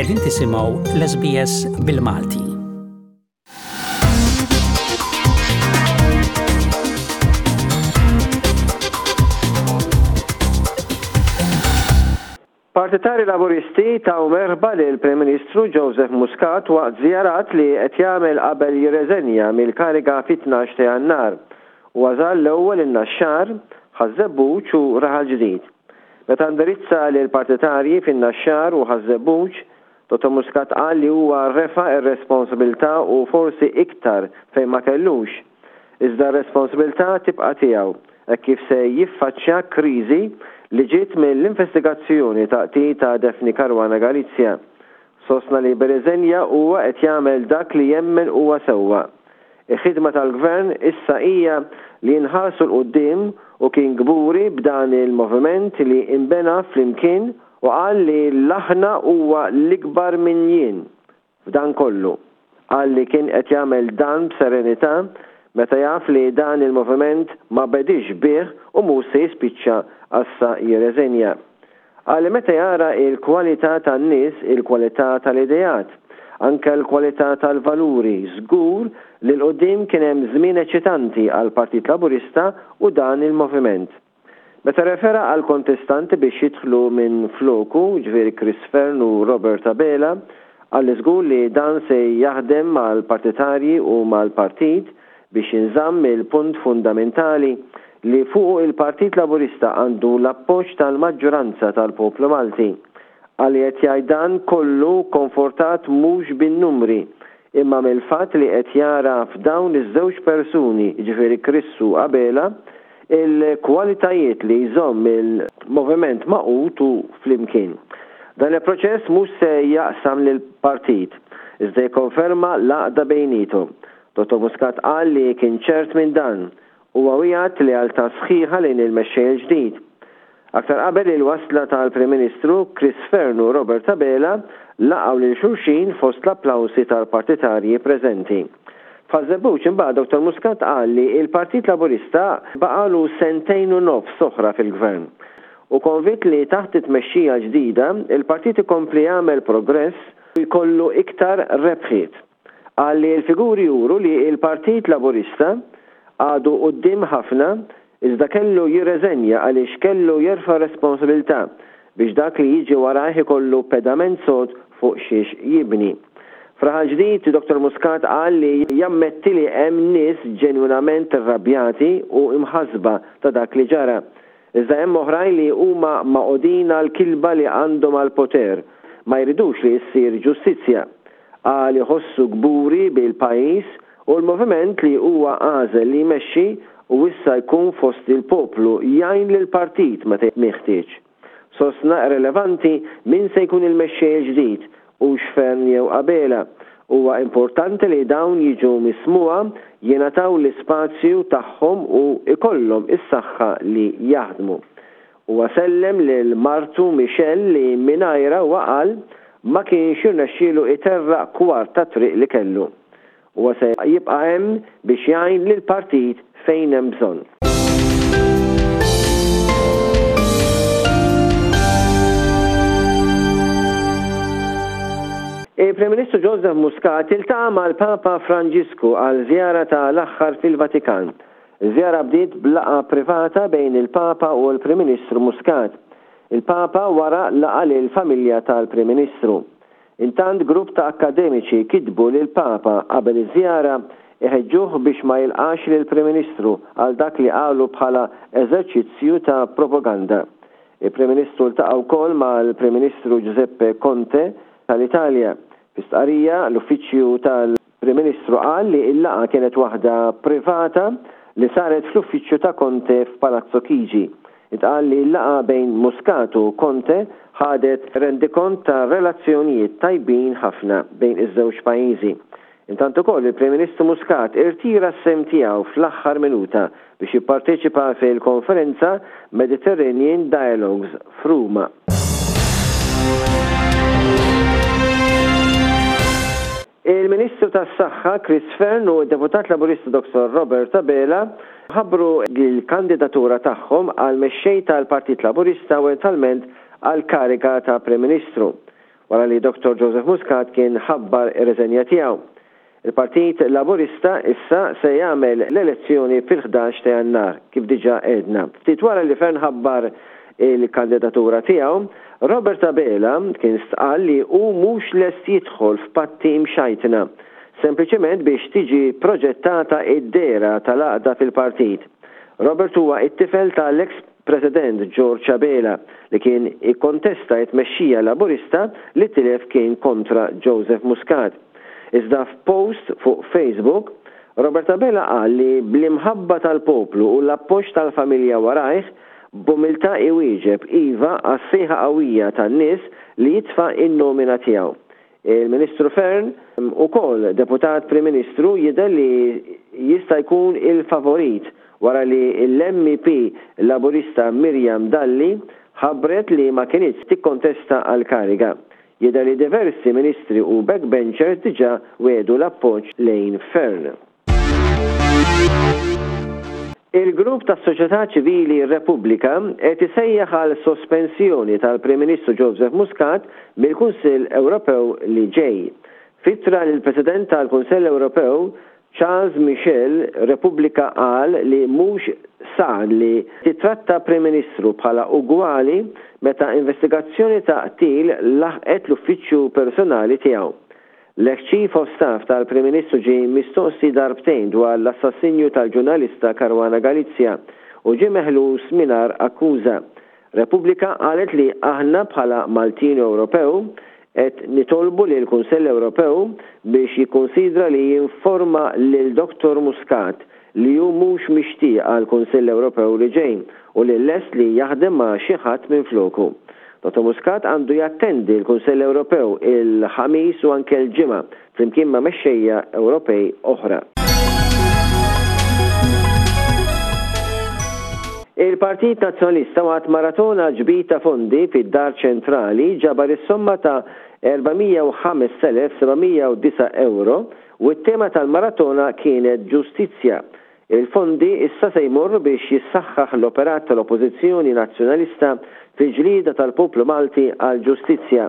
Qegħdin tisimgħu l-SBS bil-Malti. Partitari Laburisti taw merħba lill-Prim Ministru Joseph Muscat waqt żjarat li qed jagħmel qabel jirreżenja mill-kariga fit-tnax ta' Jannar. Huwa żar l-ewwel in-Naxxar, Ħaż-Żebbuġ u Raħal Ġdid. Meta indirizza lill-partitarji fin-Naxxar u Ħaż-Żebbuġ, Dottor Muscat qal li huwa refa' r-responsabilità u forsi iktar fejn ma kellux. Iżda r-responsabilità tibqa' tiegħu hekk kif se jiffaċċja kriżi li ġiet mill-investigazzjoni ta' qtil ta' Daphne Caruana Galizia. Sostna li bir-riżenja huwa qed jagħmel dak li jemmen huwa sewwa. Il-ħidma tal-Gvern issa hija li nħarsu 'l quddiem u kien kburi b'dan il-moviment li inbena flimkien u qal li l-aħna huwa l-ikbar minn jien. F'dan kollu, qal li kien qed jagħmel dan b'serenità meta jaf li dan il-moviment ma bediex bih u mhux se jispiċċa assa jirreżenja. Qal li meta jara il-kwalità tan-nies, il-kwalità tal-ideat, anke l-kwalità tal-valuri, żgur li 'l quddiem kien hemm żmien eċitanti għall-Partit Laburista u dan il-moviment. Meta rrefera għall-kontestanti biex jidħlu minn floku, jiġifieri Chris Fearne u Robert Abela, qal li żgur li dan se jaħdem mal-partitarji u mal-partit biex jinżamm il-punt fundamentali li fuqu il-Partit Laburista għandu l-appoġġ tal-maġġoranza tal-poplu Malti. Qal li qed jgħid dan kollu konfortat mhux bin-numri imma mill-fatt li qed jara f'dawn iż-żewġ persuni, jiġifieri Chris u Abela, il-kwalitajiet li jżomm il-moviment magħqud u flimkien. Dan il-proċess mhux se jaqsam lill-partit, iżda jikkonferma l-għaqda bejniethom. Dottor Muscat qal li kien ċert minn dan. Huwa wiegħed lealtà sħiħa lejn il-mexxej il-ġdid. Aktar qabel il-wasla tal-Prim Ministru, Chris Fearne u Robert Abela laqgħu lil xulxin fost l-applawsi tal-partitarji preżenti. F'Ħaż-Żebbuġ imbagħad Dottor Muscat qal li l-Partit Laburista baqagħlu sentejn u nofs oħra fil-Gvern. Hu konvint li taħt it-tmexxija l-ġdida, il-partit ikompli jagħmel progress u jkollu iktar rebħiet. Qal li l-figuri juru li l-Partit Laburista għadu quddiem ħafna iżda kellu jirreżenja għaliex kellu jerfa' responsabilità biex dak li jiġi warajh ikollu pedament sod fuq xiex jibni. F'Raħal Ġdid, Dottor Muscat qal li jammetti li hemm nies ġenwinament irrabjati u imħassba ta' dak li ġara. Iżda hemm oħrajn li huma magħqudin għall-kilba li għandhom għall-poter, ma jridux li ssir ġustizzja. Qal iħossu kburi bil-pajjiż u l-moviment li huwa għażel li jmexxi u issa jkun fost il-poplu jgħin lill-partit meta meħtieġ. Sostna irrelevanti min se jkun il-mexxej il-ġdid, hux Fearne jew Abela. Huwa importanti li dawn jiġu mismugħa, jingħataw l-ispazju tagħhom u jkollhom is-saħħa li jaħdmu. Huwa sellem lil martu Michelle li mingħajrha huwa qal ma kienx jirnexxielu iterraq kwart tat-triq li kellu. Huwa se jibqa' hemm biex jgħin lill-partit fejn hemm bżonn. Il-Prim Ministru Joseph Muscat iltaqa' mal-Papa Franġisku għal żjara ta' l-aħħar fil-Vatikan. Iż-żjara bdiet b'laqgħa privata bejn il-Papa u l-Prim Ministru Muscat. Il-Papa wara laqa' lill-familja tal-Prim Ministru. Intant grupp ta' akkademiċi kitbu lill-Papa qabel iż-żjara iħeġġuh biex ma jilqax lill-Prim Ministru għal dak li qalu bħala eżerċizzju ta' propaganda. Il-Prim Ministru ltaqa' wkoll mal-Prim Ministru Giuseppe Conte tal-Italja. Fi stqarrija, l-Uffiċċju tal. Prim Ministru qal li l-laqgħa kienet waħda privata li saret fl-uffiċċju ta' Conte f'Palazzo Chigi. Intqal li l-laqgħa bejn Muscat u Conte ħadet rendikont ta' relazzjonijiet tajbin ħafna bejn iż-żewġ pajjiżi. Intant ukoll il-Prim Ministru Muscat irtira s-sehem tiegħu fl-aħħar minuta biex jipparteċipa fil-konferenza Mediterranean Dialogues f'Ruma. Il-Ministru tas-Saħħa Chris Fearne u d-Deputat Laburista Dottor Robert Abela ħabbru l-kandidatura tagħhom għal Mexxej tal-Partit Laburista u eventwalment għall-kariga ta' Prim Ministru. wara li Dottor Joseph Muscat kien ħabbar ir-riżenja tiegħu. Il-Partit Laburista issa se jagħmel l-elezzjoni fil-11 ta' Jannar, kif diġà għedna. Ftit wara li Fearne ħabbar il-kandidatura tiegħu, Robert Abela kien stqarr li hu mhux lest jidħol f'patti mxajtna, sempliċement biex tiġi proġettata d-dehra tal-għaqda fil-partit. Robert huwa t-tifel tal-eks President George Abela li kien ikkontesta t-tmexxija Laburista li tilef kien kontra Joseph Muscat. Iżda f'post fuq Facebook, Robert Abela qal li bl-imħabba tal-poplu u l-appoġġ tal-familja warajh, b'umiltà iwieġeb iva għas-sejħa qawwija tan-nies li jitfa' n-nomina tiegħu. Il-Ministru Fearne, ukoll Deputat Prim Ministru, jidher li jista' jkun il-favorit wara li l-MEP Laburista Miriam Dalli ħabbret li ma kinitx tikkontesta għall-kariga. Jidher li diversi Ministri u backbenchers diġà wiegħdu l-appoġġ lejn Fearne. Il-grupp tas-soċjetà ċivili Repubblika qed isejjaħ għal sospensjoni tal-Prim Ministru Joseph Muscat mill-Kunsill Ewropew li ġej. F'ittra lill-President tal-Kunsell Ewropew, Charles Michel, Repubblika qal li mhux san li tittratta Prim Ministru bħala ugwali meta investigazzjoni ta' qtil laħqet l-uffiċċju personali tiegħu. L-eks Chief of Staff tal-Prim Ministru ġie mistoqsi darbtejn dwar l-assassinju tal-ġurnalista Caruana Galizia u ġie meħlus mingħajr akkuża. Repubblika qalet li aħna bħala Maltin u Ewropew qed nitolbu lill-Kunsell Ewropew biex jikkunsidra li jinforma lil Dottor Muscat li hu mhux mixtieq għall-Kunsill Ewropew li ġej u li lest li jaħdem ma' xi ħadd minfloku. Dottor Muscat għandu jattendi l-Kunsill Ewropew il-Ħamis u anke l-Ġimgħa flimkien ma' mexxejja Ewropej oħra. Il-Partit Nazzjonalista waqt maratona ġbid ta' fondi fid-Dar Ċentrali ġabar is-somma ta' 405,709 ewro u t-tema tal-maratona kienet Ġustizzja. Il-fondi issa se jmorru biex jissaħħaħ l-operat tal-Oppożizzjoni Nazzjonalista fil-ġlieda tal-poplu Malti għall-ġustizzja.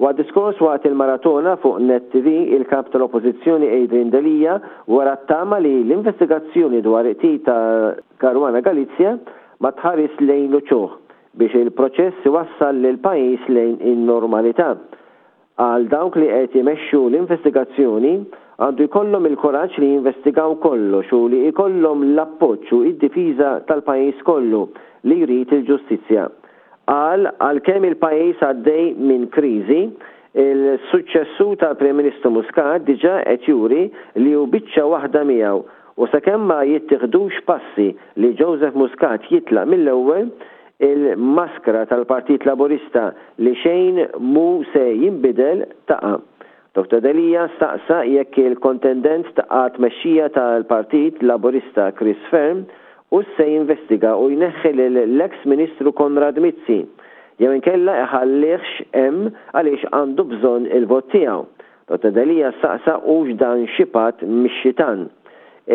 Waqt diskors waqt il-maratona fuq Net TV, il-Kap tal-Oppożizzjoni Adrian Delia wera t-tama li l-investigazzjoni dwar il-qtil ta' Caruana Galizia ma tħaris lejn l-uċuħ biex il-proċess iwassal lill-pajjiż lejn in-normalità. Qal dawk li qed imexxu l-investigazzjoni għandu jkollhom il-kuraġġ li jinvestigaw kollox u li jkollhom l-appoġġ u d-difiża tal-pajjiż kollu li jrid il-ġustizzja. Qal għalkemm il-pajjiż għaddej minn kriżi, il-suċċessur tal-Prim Ministru Muscat diġà qed juri li hu biċċa waħda miegħu u sakemm ma jittieħdux passi li Joseph Muscat jitlaq mill-ewwel, Il-maskra tal-Partit Laburista li xejn mhu se jinbidel taqa'. Dottor Delia staqsa jekk il-kontendent għat-tmexxija tal-Partit Laburista Chris Fearne hux se jinvestiga u jneħħi lill-eks Ministru Konrad Mizzi jew inkella iħallihx hemm għaliex għandu bżonn il-vot tiegħu. Dottor Delia staqsa hux dan xi patt mix-xitan.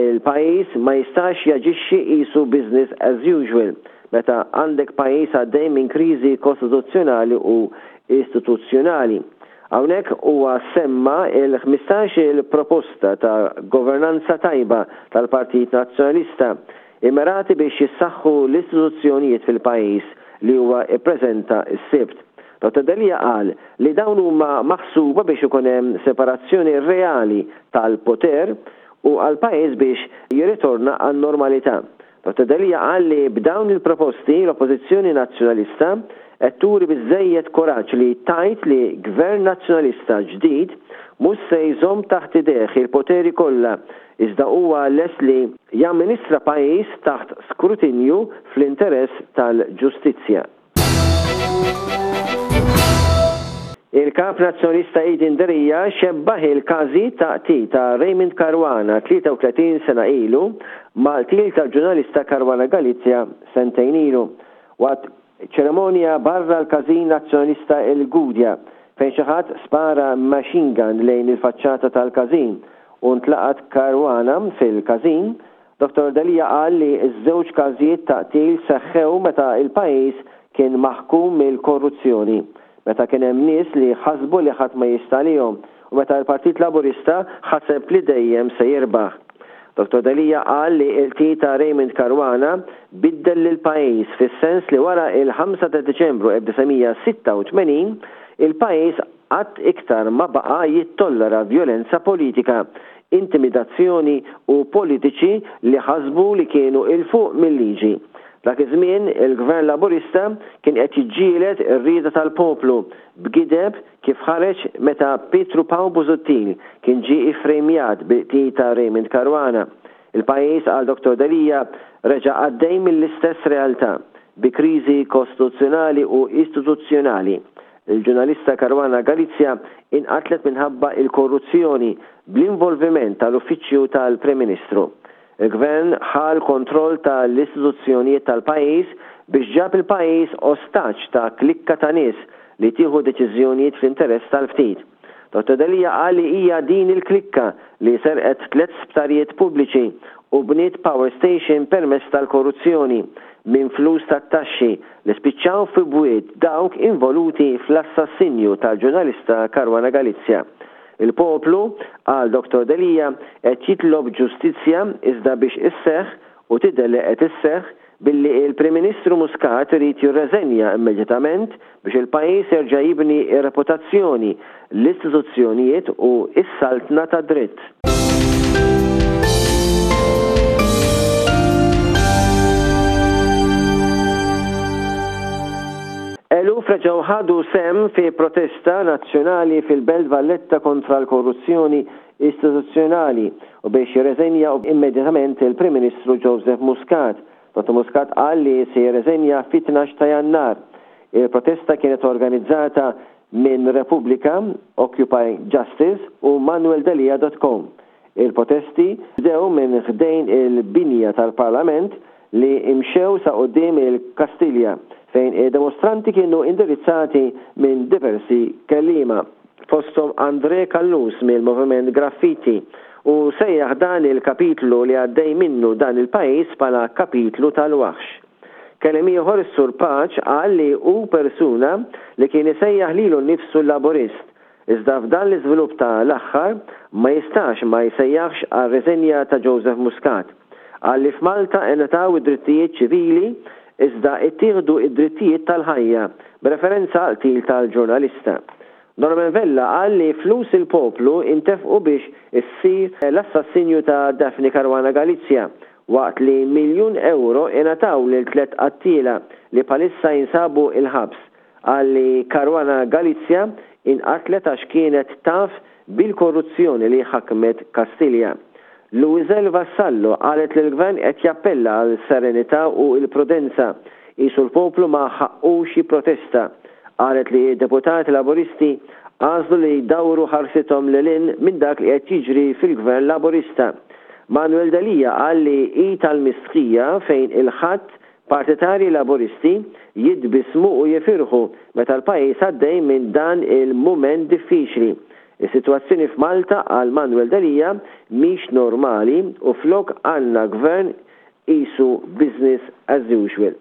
Il-pajjiż ma jistax jaġixxi qisu business as usual meta għandek pajjiż għaddej minn kriżi kostituzzjonali u istituzzjonali. Hawnhekk huwa semma l-ħmistax-il proposta ta' governanza tajba tal-Partit Nazzjonalista immirati biex jissaħħu l-istituzzjonijiet fil-pajjiż li huwa ppreżenta s-Sibt. Dottor Delia qal li dawn huma maħsuba biex ikun hemm separazzjoni reali tal-poter u għall-pajjiż biex jirritorna għan-normalità. Dottor Delia qal li b'dawn il-proposti l-Oppożizzjoni Nazzjonalista qed turi biżżejjed kuraġġ li tgħid li Gvern Nazzjonalista ġdid mhux se jżomm taħt idejh il-poteri kollha iżda huwa lest li jamministra pajjiż taħt skrutinju fl-interess tal-ġustizzja. Il-Kap Nazzjonalista Adrian Delia xebbaħ il-każi ta' qtil ta' Raymond Caruana 33 sena ilu mal-qtil tal-ġurnalista Caruana Galizia sentejn ilu. Waqt ċerimonja barra l-każin Nazzjonalista il-Gudja fejn xi ħadd spara machine gun lejn il-faċċata tal-każin u ntlaqat Caruana fil-każin, Dottor Delia qal li ż-żewġ każijiet ta' qtil seħħew meta l-pajjiż kien maħkum mill-korruzzjoni. meta kien hemm nies li ħasbu li ħadd ma jista' għalihom u meta l-Partit Laburista ħaseb li dejjem se jirbaħ. Dottor Delia qal li l-qtil ta' Raymond Caruana biddel lill-pajjiż fis-sens li wara il-ħamsa ta' Diċembru 1986 il-pajjiż qatt iktar ma baqa' jittollera vjolenza politika, intimidazzjoni u politiċi li ħasbu li kienu 'il fuq mil-liġi. Dak iż-żmien il-Gvern Laburista kien qed jiġġieled ir-rieda tal-poplu b'gideb kif ħareġ meta Pietru Pawl Busuttil kien ġie iffrejmjat bil-qtil ta' Raymond Caruana. Il-pajjiż, qal Dottor Delia, reġa' għaddej mill-istess realtà, bi kriżi kostituzzjonali u istituzzjonali. Il-ġurnalista Caruana Galizia inqatlet minħabba il-korruzzjoni bl-involviment tal-Uffiċċju tal-Prim Ministru. Il-Gvern ħa l-kontroll ta' l-istituzzjonijiet tal-pajjiż biex ġab il-pajjiż ostaġġ ta' klikka ta' nies li tieħu deċiżjonijiet fl-interess tal-ftit. Dottor Delia qal li hija din il-klikka li serqet tlett sptarijiet pubbliċi u bniet power station permezz tal-korruzzjoni minn flus tat-taxxi li spiċċaw fi bwiet dawk involuti fl-assassinju tal-ġurnalista Caruana Galizia. Il-poplu, qal Dottor Delia, qed jitlob ġustizzja iżda biex isseħħ, u tidher li qed isseħħ, billi il-Prim Ministru Muscat irid jirreżenja immedjatament biex il-pajjiż jerġa' jibni r-reputazzjoni, l-istituzzjonijiet u s-saltna tad-dritt. Eluf reġgħu ħadu sehem fi protesta nazzjonali fil-Belt Valletta kontra l-korruzzjoni istituzzjonali u biex jirreżenja immedjatament il-Prim Ministru Joseph Muscat. Dottor Muscat qal li se jirreżenja fit-tnax ta' Jannar. Il-protesta kienet organizzata minn Repubblika, Occupy Justice u manueldelia dot com. Il-protesti bdew minn ħdejn il-binja tal-Parlament li mxew sa quddiem il-Kastilja fejn id-demostranti kienu indirizzati minn diversi kelliema, fosthom André Callus mill-Moviment Graffiti, u sejjaħ dan il-kapitlu li għaddej minnu dan il-pajjiż bħala kapitlu tal-waħx. Kelliem ieħor is-Sur Pace qal li hu persuna li kien isejjaħ lilu nnifsu Laburist Iżda f'dan l-iżvilupp ta' l-aħħar ma jistax ma jsejjaħx għar-riżenja ta' Joseph Muscat. Qal li f'Malta ingħataw id-drittijiet ċivili iżda ittieħdu id-drittijiet tal-ħajja, b'referenza għall-qtil tal-ġurnalista. Norman Vella qal li flus il-poplu intefqu biex issir l-assassinju ta' Daphne Caruana Galizia waqt li miljun ewro ingħataw lil tlett qattiela li bħalissa jinsabu il-ħabs. Qal li Caruana Galizia inqatlet għax kienet taf bil-korruzzjoni li ħakmet Kastilja. Louiselle Vassallo qalet li l-Gvern qed jappella għal serenità u l-prudenza, qisu l-poplu ma ħaqqux jipprotesta. Qalet li d-deputati Laburisti għażlu li jdawru ħarsithom lil hinn minn dak li qed jiġri fil-Gvern Laburista. Manuel Delia qal li hi tal-mistħija fejn il-Ħadd Partitarji Laburisti jitbissmu u jifirħu meta l-pajjiż għaddej minn dan il-mument diffiċli. Is-sitwazzjoni f'Malta, qal Manuel Delia, mhix normali u flok għandna Gvern qisu business as usual.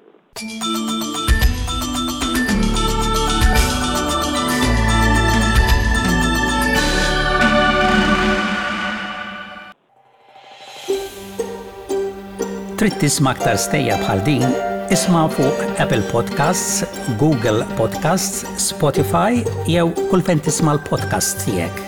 Trid tisma' aktar stejjer bħal din? Isma' fuq Apple Podcasts, Google Podcasts, Spotify jew kull fejn tisma' l-podcasts tiegħek.